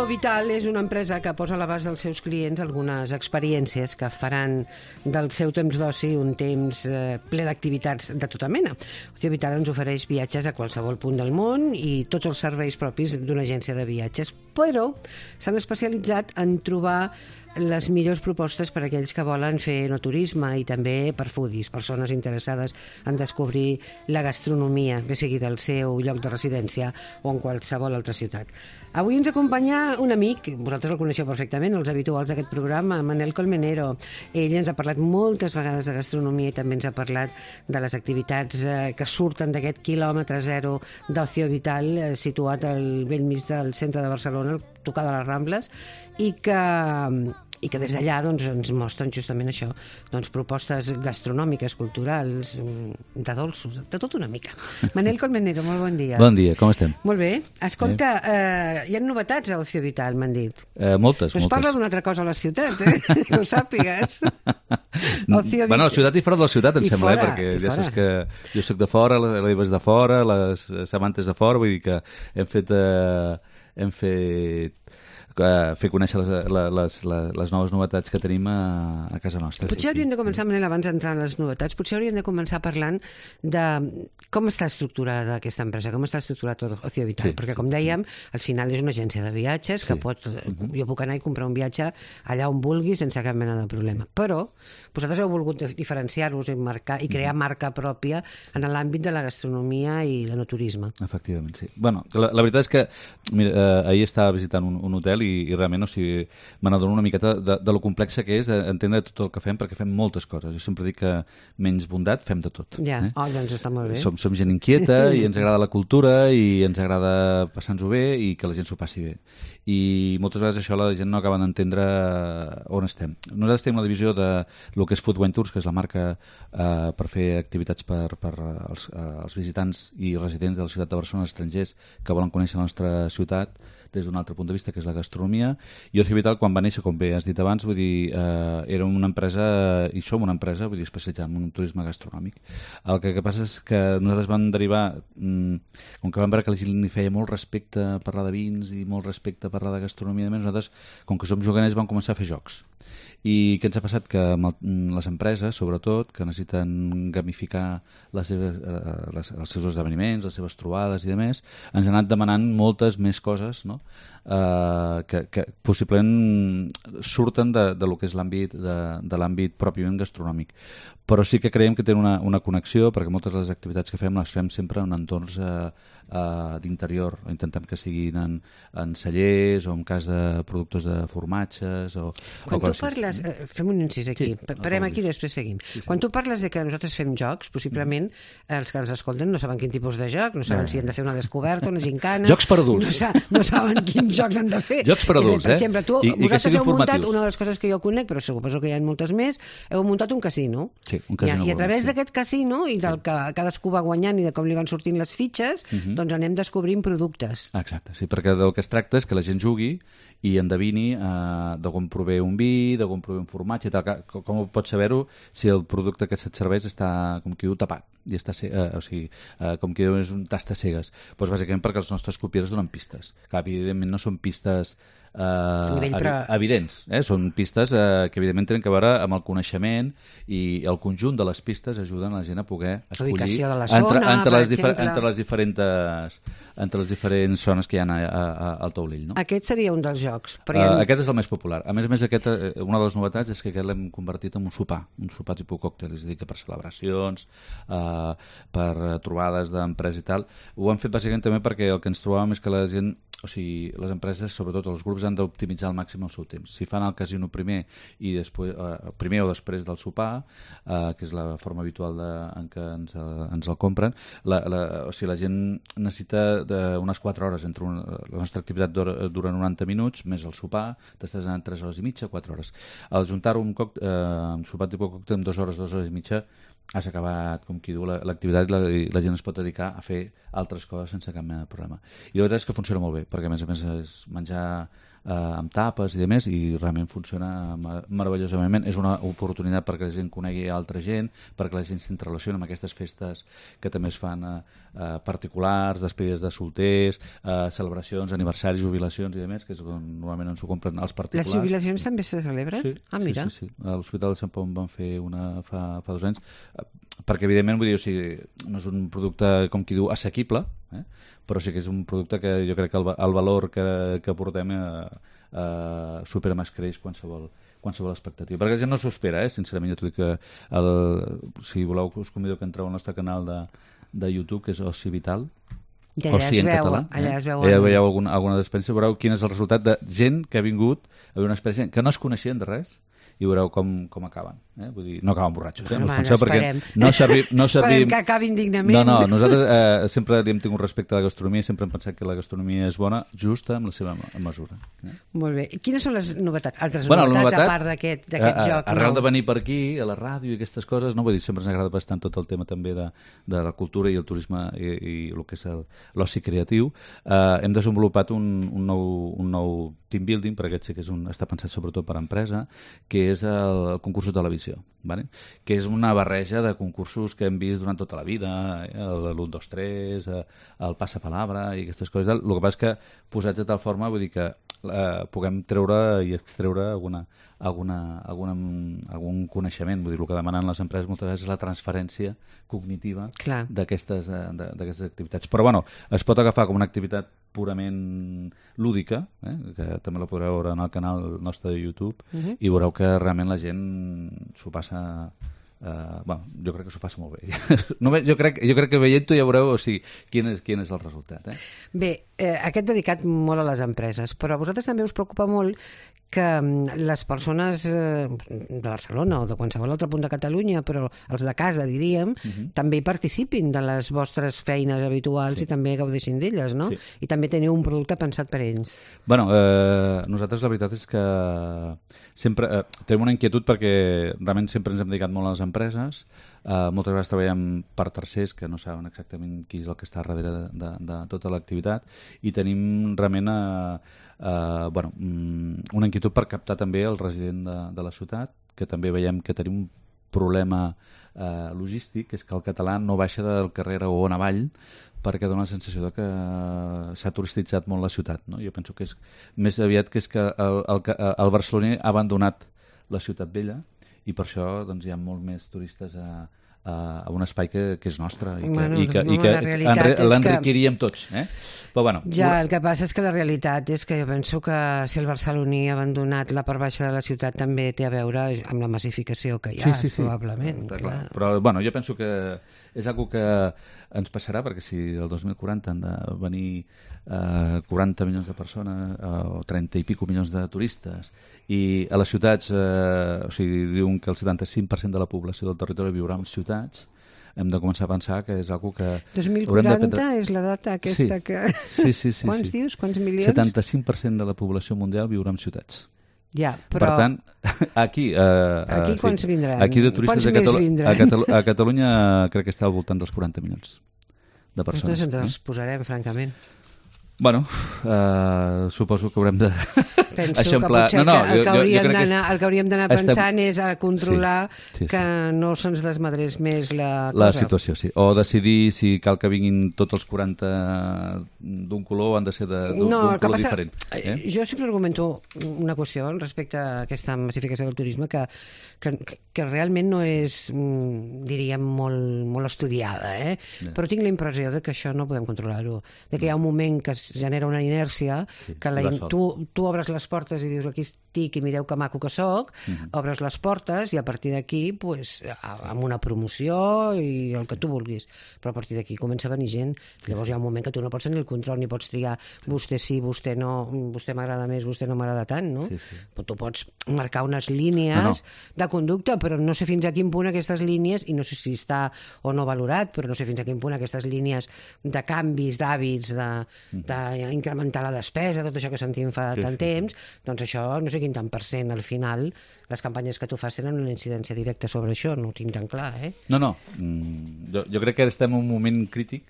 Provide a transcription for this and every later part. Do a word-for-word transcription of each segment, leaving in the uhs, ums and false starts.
Ocio Vital és una empresa que posa a l'abast dels seus clients algunes experiències que faran del seu temps d'oci un temps eh, ple d'activitats de tota mena. Ocio Vital ens ofereix viatges a qualsevol punt del món i tots els serveis propis d'una agència de viatges, però s'han especialitzat en trobar les millors propostes per a aquells que volen fer enoturisme i també per foodies, persones interessades en descobrir la gastronomia, bé sigui del seu lloc de residència o en qualsevol altra ciutat. Avui ens acompanya un amic, vosaltres el coneixeu perfectament, els habituals d'aquest programa, Manel Colmenero. Ell ens ha parlat moltes vegades de gastronomia i també ens ha parlat de les activitats eh, que surten d'aquest quilòmetre zero d'Ocio Vital, eh, situat al bell mig del centre de Barcelona, tocar de les Rambles, i que, i que des d'allà doncs, ens mostren justament això, doncs, propostes gastronòmiques, culturals, de dolços, de tot una mica. Manel Colmenero, molt bon dia. Bon dia, com estem? Molt bé. Escolta, eh, hi ha novetats a Ocio Vital, m'han dit. Eh, moltes, no es moltes. parla d'una altra cosa a la ciutat, eh? Que ho sàpigues. Ocio bueno, la ciutat i fora de la ciutat, em I sembla, fora, eh? Perquè ja fora. saps que jo soc de fora, l'Eva és de fora, les Samantes de fora, vull dir que hem fet... Eh, hem fet Uh, fer conèixer les, les, les, les noves novetats que tenim a, a casa nostra. Potser sí, hauríem sí. de començar, Manel, abans d'entrar en les novetats, potser hauríem de començar parlant de com està estructurada aquesta empresa, com està estructurat Ocio Vital, Sí, perquè, sí, com dèiem, al final és una agència de viatges que Sí. pot... Uh-huh. Jo puc anar i comprar un viatge allà on vulgui sense cap mena de problema. Però vosaltres heu volgut diferenciar-vos i, marcar, i crear marca pròpia en l'àmbit de la gastronomia i l'enoturisme. Efectivament, sí. Bueno, la, la veritat és que mira, eh, ahir estava visitant un, un hotel i, i realment, o sigui, me n'adono una miqueta de, de lo complexa que és entendre tot el que fem, perquè fem moltes coses. Jo sempre dic que menys bondat fem de tot. Ja, eh? oh, doncs està molt bé. Som, som gent inquieta i ens agrada la cultura i ens agrada passar-nos-ho bé i que la gent s'ho passi bé. I moltes vegades això la gent no acaba d'entendre on estem. Nosaltres tenim la divisió de lo que és Food Wine Tours, que és la marca eh, per fer activitats per, per als, als visitants i residents de la ciutat de Barcelona, estrangers que volen conèixer la nostra ciutat des d'un altre punt de vista, que és la gastronomia. I Ocio Vital, quan va néixer, com bé has dit abans, vull dir, eh, era una empresa, i som una empresa, vull dir, especialitzada en un turisme gastronòmic. El que, que passa és que nosaltres vam derivar, mmm, com que vam veure que la gent li feia molt respecte a parlar de vins i molt respecte a parlar de gastronomia, i nosaltres, com que som juganers, vam començar a fer jocs. I què ens ha passat? Que amb el, les empreses, sobretot, que necessiten gamificar les seves, eh, les, els seus esdeveniments, les seves trobades i demés, ens han anat demanant moltes més coses, no? Uh, que, que possiblement surten de, de lo que és l'àmbit de, de l'àmbit pròpiament gastronòmic, però sí que creiem que tenen una, una connexió, perquè moltes de les activitats que fem les fem sempre en entorns uh, uh, d'interior, intentem que siguin en, en cellers o en cas de productors de formatges o, quan o tu parles, eh, fem un incís aquí, Sí, parem aquí i després seguim. Sí, sí. Quan tu parles de que nosaltres fem jocs, possiblement mm. els que ens escolten no saben quin tipus de joc, no saben Eh. si han de fer una descoberta, una gincana... Jocs per adults. No, sa no saben quins jocs han de fer. Jocs per adults, per eh? exemple, tu, I- i que vosaltres siguin heu muntat, formatius. una de les coses que jo conec, però suposo que hi ha moltes més, heu muntat un casino. Sí, un casino I, I a bonic, través sí. d'aquest casino i del que cadascú va guanyant i de com li van sortint les fitxes, uh -huh. doncs anem descobrint productes. Exacte, sí, perquè del que es tracta és que la gent jugui i endevini eh, de com prové un vi, de com prové un formatge i tal. Com, com pots saber-ho si el producte que se't serveix està, com qui diu, tapat i està, eh, o sigui, eh, com qui diu, és un tasta cegues. Doncs bàsicament perquè els nostres crupiers donen pistes. Clar, evidentment no són pistes eh, Nivell, però- evi evidents, eh? Són pistes eh, que evidentment tenen que veure amb el coneixement i el conjunt de les pistes ajuden la gent a poder escollir Ubicació de la entre, zona, entre, per les, difer exemple. entre les diferents entre les diferents zones que hi ha a, a, al taulell, no? Aquest seria un dels jocs. Però Uh, hi ha... aquest és el més popular. A més a més, aquest, eh, una de les novetats és que aquest l'hem convertit en un sopar, un sopar tipus còctel, és a dir, que per celebracions, uh, per uh, trobades d'empresa i tal. Ho hem fet bàsicament també perquè el que ens trobàvem és que la gent, o sigui, les empreses, sobretot els grups, han d'optimitzar al màxim el seu temps. Si fan el casino primer i després, uh, primer o després del sopar, uh, que és la forma habitual de, en què ens, uh, ens el compren, la, la, o sigui, la gent necessita de unes quatre hores entre una, la nostra activitat dura, dura noranta minuts, més el sopar, t'estàs anant tres hores i mitja, quatre hores. Al juntar-ho amb eh, un sopar tipus còctel amb dues hores, dues hores i mitja, has acabat, com qui diu, l'activitat la, i la, la gent es pot dedicar a fer altres coses sense cap mena de problema. I la veritat és que funciona molt bé, perquè a més a més és menjar eh, amb tapes i demés, i realment funciona mar meravellosament. És una oportunitat perquè la gent conegui altra gent, perquè la gent s'interrelacioni amb aquestes festes que també es fan eh, eh, particulars, despedides de solters, eh, celebracions, aniversaris, jubilacions i demés, que és on normalment ens ho compren els particulars. Les jubilacions també se celebren? Sí, ah, mira. sí, sí, sí. A l'Hospital de Sant Pau en van fer una fa, fa dos anys, perquè evidentment vull dir, o sigui, no és un producte, com qui diu, assequible, eh? Però sí que és un producte que jo crec que el, el valor que, que portem eh, eh, supera més creix qualsevol, qualsevol expectativa. Perquè la gent no s'ho espera, eh? Sincerament, jo t'ho dic que el, si voleu us convido que entreu al nostre canal de, de YouTube, que és Oci Vital, I allà Oci es en veu, català, allà eh? es veu, allà veieu alguna, alguna experiència, veureu quin és el resultat de gent que ha vingut a veure una experiència que no es coneixien de res, i veureu com, com acaben. Eh? Vull dir, no acaben borratxos, eh? No us penseu, perquè no servim... No servim... Esperem que acabin dignament. No, no, nosaltres eh, sempre li hem tingut respecte a la gastronomia, sempre hem pensat que la gastronomia és bona, justa amb la seva mesura. Eh? Molt bé. I quines són les novetats? Altres bueno, novetats, novetat, a part d'aquest joc? Arrel no? de venir per aquí, a la ràdio i aquestes coses, no? Vull dir, sempre ens agrada bastant tot el tema també de, de la cultura i el turisme i, i el que és l'oci creatiu. Eh, hem desenvolupat un, un, nou, un nou team building, per aquest sí que és un, està pensat sobretot per a empresa, que és el, el concurs de televisió, vale? Que és una barreja de concursos que hem vist durant tota la vida, eh? l'u, dos, tres, el passapalabra i aquestes coses. El que passa és que posats de tal forma, vull dir que eh, puguem treure i extreure alguna, alguna, alguna, algun coneixement. Vull dir, el que demanen les empreses moltes vegades és la transferència cognitiva d'aquestes activitats. Però bueno, es pot agafar com una activitat purament lúdica, eh? Que també la podreu veure en el canal nostre de YouTube, uh-huh. i veureu que realment la gent s'ho passa... Uh, bueno, jo crec que s'ho passa molt bé. Només, jo, crec, jo crec que veient-ho ja veureu o sigui, quin, és, quin és el resultat. Eh? Bé, eh, aquest dedicat molt a les empreses, però a vosaltres també us preocupa molt que les persones eh, de Barcelona o de qualsevol altre punt de Catalunya, però els de casa, diríem, uh-huh. també hi participin de les vostres feines habituals sí. i també gaudeixin d'elles, no? Sí. I també teniu un producte pensat per ells. Bueno, eh, nosaltres la veritat és que sempre eh, tenim una inquietud perquè realment sempre ens hem dedicat molt a les empreses. Uh, moltes vegades treballem per tercers que no saben exactament qui és el que està darrere de, de, de tota l'activitat, i tenim realment uh, uh, bueno, una inquietud per captar també el resident de, de la ciutat, que també veiem que tenim un problema uh, logístic, que és que el català no baixa del carrer on avall, perquè dona la sensació de que s'ha turistitzat molt la ciutat, no? Jo penso que és més aviat que és que el, el, el barceloní ha abandonat la ciutat vella, i per això doncs, hi ha molt més turistes a, a, a un espai que, que és nostre i que, bueno, i que, no, i que l'enriquiríem que... tots. Eh? Però, bueno, ja, el que passa és que la realitat és que jo penso que si el barceloní ha abandonat la part baixa de la ciutat també té a veure amb la massificació que hi ha, sí, sí, sí. probablement. Clar, clar. Però bueno, jo penso que és algo que ens passarà, perquè si el dos mil quaranta han de venir eh, quaranta milions de persones eh, o trenta i pico milions de turistes, i a les ciutats eh, o sigui, diuen que el setanta-cinc per cent de la població del territori viurà en ciutats, hem de començar a pensar que és algo que... dos mil quaranta és la data aquesta sí. que... Sí, sí, sí. Quants sí. dius? Quants milions? setanta-cinc per cent de la població mundial viurà en ciutats. Ja, però... Per tant, aquí... Eh, aquí quants sí, vindran? Aquí de turistes quants a, Catalu vindran? a, Catalu a Catalunya crec que està al voltant dels quaranta milions de persones. Nosaltres ens els eh? posarem, francament. Bueno, uh, suposo que haurem de Penso eixamplar... que potser no, no, que el, que hauríem jo, jo és... el que hauríem d'anar Estem... pensant és a controlar sí, sí, sí. que no se'ns desmadrés més la cosa. La situació, sí. O decidir si cal que vinguin tots els quaranta d'un color o han de ser d'un no, color passa... diferent. Eh? Jo sempre argumento una qüestió respecte a aquesta massificació del turisme que, que, que realment no és, diríem, molt, molt estudiada, eh? Yeah. Però tinc la impressió de que això no podem controlar-ho, de que hi ha un moment que es genera una inèrcia, sí, que la, tu, tu obres les portes i dius aquí estic i mireu que maco que soc, uh-huh. obres les portes i a partir d'aquí pues, amb una promoció i el que tu vulguis, però a partir d'aquí comença a venir gent, llavors hi ha un moment que tu no pots tenir el control ni pots triar vostè sí, vostè no, vostè m'agrada més, vostè no m'agrada tant, no? Sí, sí. Però tu pots marcar unes línies no, no. de conducta, però no sé fins a quin punt aquestes línies, i no sé si està o no valorat, però no sé fins a quin punt aquestes línies de canvis d'hàbits, de, d'incrementar la despesa, tot això que sentim fa sí, tant sí, temps, sí. doncs això no sé quin tant per cent al final les campanyes que tu fas tenen una incidència directa sobre això, no ho tinc tan clar, eh? No, no, mm, jo, jo crec que estem en un moment crític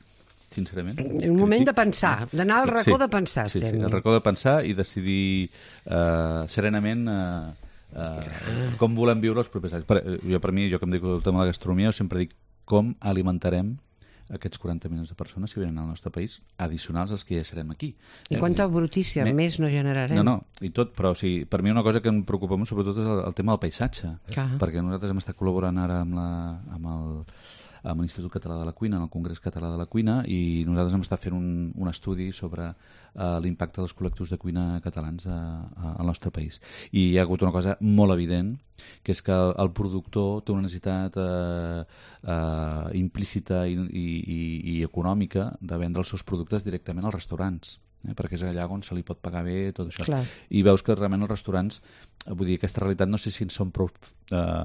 sincerament. Un moment de pensar, d'anar al racó sí, de pensar. Sí, estem. sí, al racó de pensar i decidir uh, serenament uh, uh, com volem viure els propers anys. Per, jo, per mi, jo que em dedico al tema de la gastronomia, sempre dic com alimentarem aquests quaranta milions de persones que venen al nostre país, addicionals als que ja serem aquí. I quanta brutícia me... més no generarem. No, no, i tot, però o sigui, per mi una cosa que em preocupa molt sobretot és el, el tema del paisatge, Clar. perquè nosaltres hem estat col·laborant ara amb, la, amb el amb l'Institut Català de la Cuina, en el Congrés Català de la Cuina, i nosaltres hem estat fent un, un estudi sobre uh, l'impacte dels col·lectius de cuina catalans a, a, al nostre país. I hi ha hagut una cosa molt evident, que és que el, el productor té una necessitat uh, uh, implícita i, i, i, i econòmica de vendre els seus productes directament als restaurants. Eh, perquè és allà on se li pot pagar bé tot això. Clar. I veus que realment els restaurants, vull dir, aquesta realitat no sé si en són prou eh,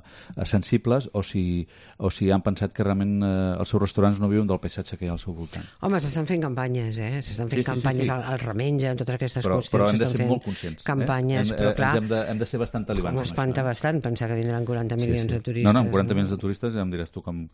sensibles o si, o si han pensat que realment eh, els seus restaurants no viuen del paisatge que hi ha al seu voltant. Home, s'estan fent campanyes, eh? S'estan fent sí, sí, campanyes sí, sí. al, al remenja, en totes aquestes però, qüestions. Però hem de ser fent molt conscients. Campanyes, eh? hem, però clar... Hem de, hem de ser bastant talibans. M'espanta això, bastant pensar que vindran quaranta milions sí, sí. de turistes. No, no, amb quaranta milions de turistes ja em diràs tu com,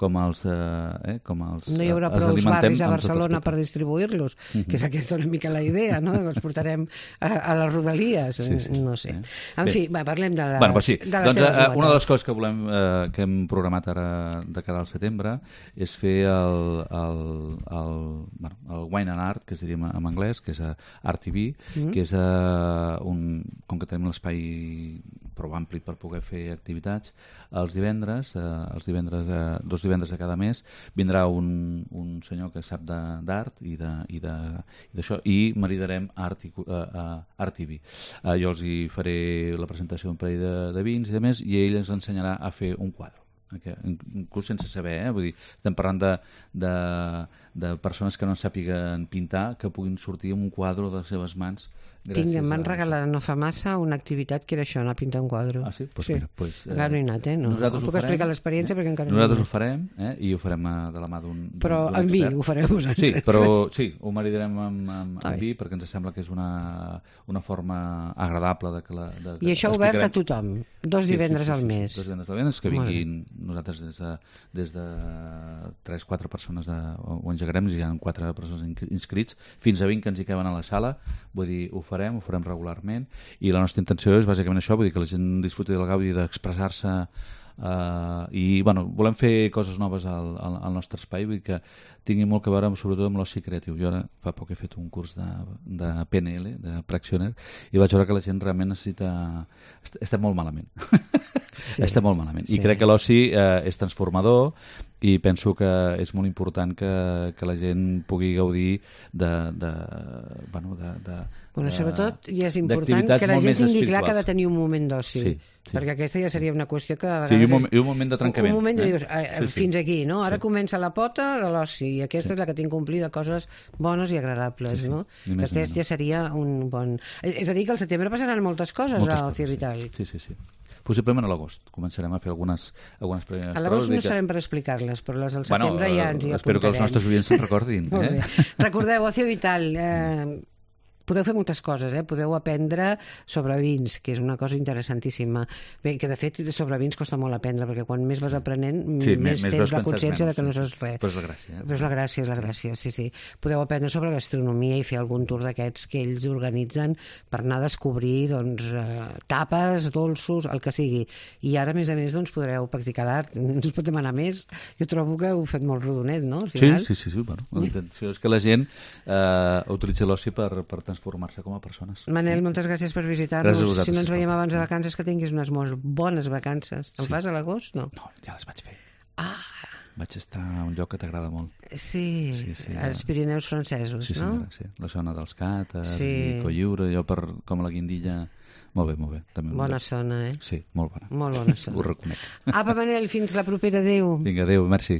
com els... Eh, com els no hi haurà prou barris a Barcelona per distribuir-los, uh -huh. que és aquesta una mica la idea, no? Que els portarem a, a les rodalies, sí, sí. no sé. En Bé. fi, va, parlem de les, bueno, sí. de les doncs, teves uh, una de les coses que volem eh, que hem programat ara de cara al setembre és fer el, el, el, bueno, el Wine and Art, que es diria en anglès, que és Art T V, uh -huh. que és uh, un, com que tenim l'espai prou ampli per poder fer activitats, els divendres, eh, els divendres eh, dos divendres de cada mes, vindrà un, un senyor que sap d'art i d'això, i, i maridarem art i, uh, uh, Art T V. Uh, jo els hi faré la presentació d'un parell de, de vins i de més, i ell ens ensenyarà a fer un quadre. Okay. Inclús sense saber, eh? Vull dir, estem parlant de, de, de persones que no sàpiguen pintar, que puguin sortir amb un quadre de les seves mans. Tinc, em van regalar no fa massa una activitat que era això, anar a pintar un quadre. Ah, sí? Pues sí. Mira, pues, eh, encara no he anat, eh? No, no puc farem, explicar l'experiència eh? perquè encara nosaltres no ho farem, eh? I ho farem de la mà d'un Però amb vi ho fareu vosaltres. Sí, però sí, ho maridarem amb, amb, amb vi perquè ens sembla que és una, una forma agradable de que la... De, I això obert a tothom, dos divendres sí, sí, sí, al sí, mes. Sí, dos divendres al mes, que vinguin nosaltres des de, des de tres quatre persones de, ho engegarem, hi ha quatre persones inscrits, fins a vint que ens hi caben a la sala, vull dir, ho farem, ho farem regular i la nostra intenció és bàsicament això, vull dir que la gent disfruti del gaudi d'expressar-se uh, i bueno, volem fer coses noves al, al, al nostre espai, vull dir que tingui molt a veure amb, sobretot amb l'oci creatiu. Jo ara fa poc he fet un curs de, de P N L, de Practioner, i vaig veure que la gent realment necessita... Est estem molt malament. Sí, estem molt malament. Sí. I crec que l'oci eh, és transformador i penso que és molt important que, que la gent pugui gaudir de... de bueno, de, de Bueno, sobretot, i és important que la gent tingui clar que ha de tenir un moment d'oci, sí, sí. perquè aquesta ja seria una qüestió que a vegades... Sí, i un, moment, i un moment de trencament. Un moment eh? de dius, eh, sí, sí. fins aquí, no? Ara sí. comença la pota de l'oci, i aquesta sí. és la que tinc complir de coses bones i agradables, sí, sí. no? Que aquest ja seria un bon... És a dir, que al setembre passaran moltes coses moltes a Ocio Vital. Sí, sí, sí. Possiblement a l'agost començarem a fer algunes, algunes primeres a l'agost no estarem per explicar-les, però les al setembre bueno, ja ens hi apuntarem. Espero que els nostres oients se'n recordin. eh? Recordeu, Ocio Vital... Eh, podeu fer moltes coses, eh? Podeu aprendre sobre vins, que és una cosa interessantíssima. Bé, que de fet sobre vins costa molt aprendre, perquè quan més vas aprenent, sí, més, més tens la consciència menys, de que no saps res. Però és la gràcia. Eh? Però és la gràcia, és la gràcia, sí, sí. Podeu aprendre sobre gastronomia i fer algun tour d'aquests que ells organitzen per anar a descobrir doncs, eh, tapes, dolços, el que sigui. I ara, a més a més, doncs, podreu practicar l'art. No us pot demanar més. Jo trobo que heu fet molt rodonet, no? Al final. Sí, sí, sí. sí. Bueno, la intenció és que la gent eh, utilitzi l'oci per, per transformar-se com a persones. Manel, moltes gràcies per visitar-nos. Si no ens veiem abans de vacances, que tinguis unes molt bones vacances. En sí. fas a l'agost? No. No, ja les vaig fer. Ah! Vaig estar a un lloc que t'agrada molt. Sí, sí, sí als Pirineus francesos, sí, no? Sí, sí, la zona dels Càters, sí. i Cotlliure, jo per, com a la Guindilla... Molt bé, molt bé. També bona zona, eh? Sí, molt bona. Molt bona zona. Ho reconec. Apa, Manel, fins la propera. Adéu. Vinga, adéu, merci.